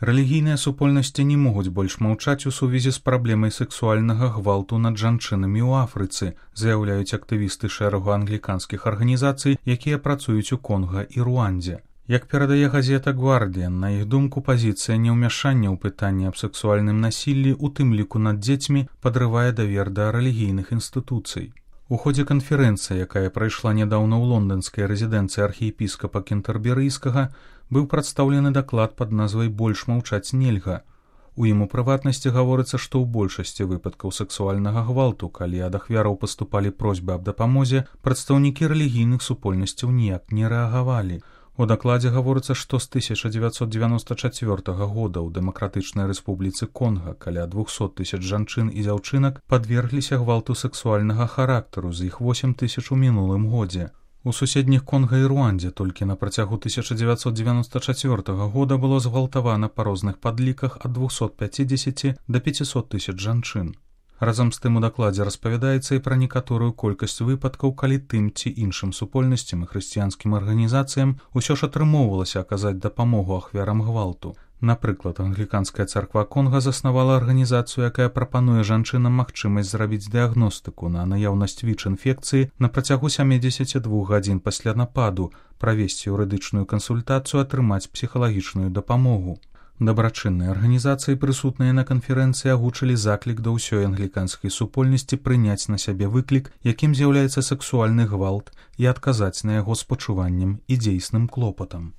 Рэлігійныя супольнасці не могуць больш маўчаць у сувязі з праблемай сексуальнага гвалту над жанчынамі ў Афрыцы, заяўляюць актывісты шэрагу англіканскіх арганізацый, якія працуюць у Конга і Руандзе. Як перадае газета «Гвардіан», на іх думку, пазіцыя неўмяшання ў пытанні аб сексуальным насіллі, у тым ліку над дзецьмі, падрывае давер да рэлігійных інстытуцый. У ходзе канферэнцыі, якая прайшла нядаўна ў лонданскай рэзідэнцыі архіепіскапа кентэрберыйскага, быў прадстаўлены даклад пад назвай «Больш маўчаць нельга». У ім у прыватнасці гаворыцца, што ў большасці выпадкаў сексуальнага гвалту, калі ад ахвяраў паступалі просьбы аб дапамозе, прадстаўнікі рэлігійных супольнасцяў ніяк не рэагавалі. У дакладзе гаворыцца, што з 1994 года ў Дэмакратычнай Рэспубліцы Конга каля 200 000 жанчын і дзяўчынак падвергліся гвалту сексуальнага характару, з іх 8 000 у мінулым годзе. У суседніх Конга і Руандзе толькі на працягу 1994 года было згвалтавана па розных падліках ад 250 до 500 000 жанчын. Разам з тым у дакладзе распавядаецца і пра некаторую колькасць выпадкаў, калі тым ці іншым супольнасцям і хрысціянскім арганізацыям усё ж атрымоўвалася аказаць дапамогу ахвярам гвалту. Напрыклад, англіканская царква Конга заснавала арганізацыю, якая прапануе жанчынам магчымасць зрабіць дыягностыку на наяўнасць ВІЧ-інфекцыі на працягу 72 гадзін пасля нападу, правесці юрыдычную кансультацыю, атрымаць псіхалагічную дапамогу. Дабрачынныя арганізацыі, прысутныя на канферэнцыі, агучылі заклік да ўсёй англіканскай супольнасці прыняць на сябе выклік, якім з'яўляецца сексуальны гвалт, і адказаць на яго спачуваннем і дзейсным клопатам.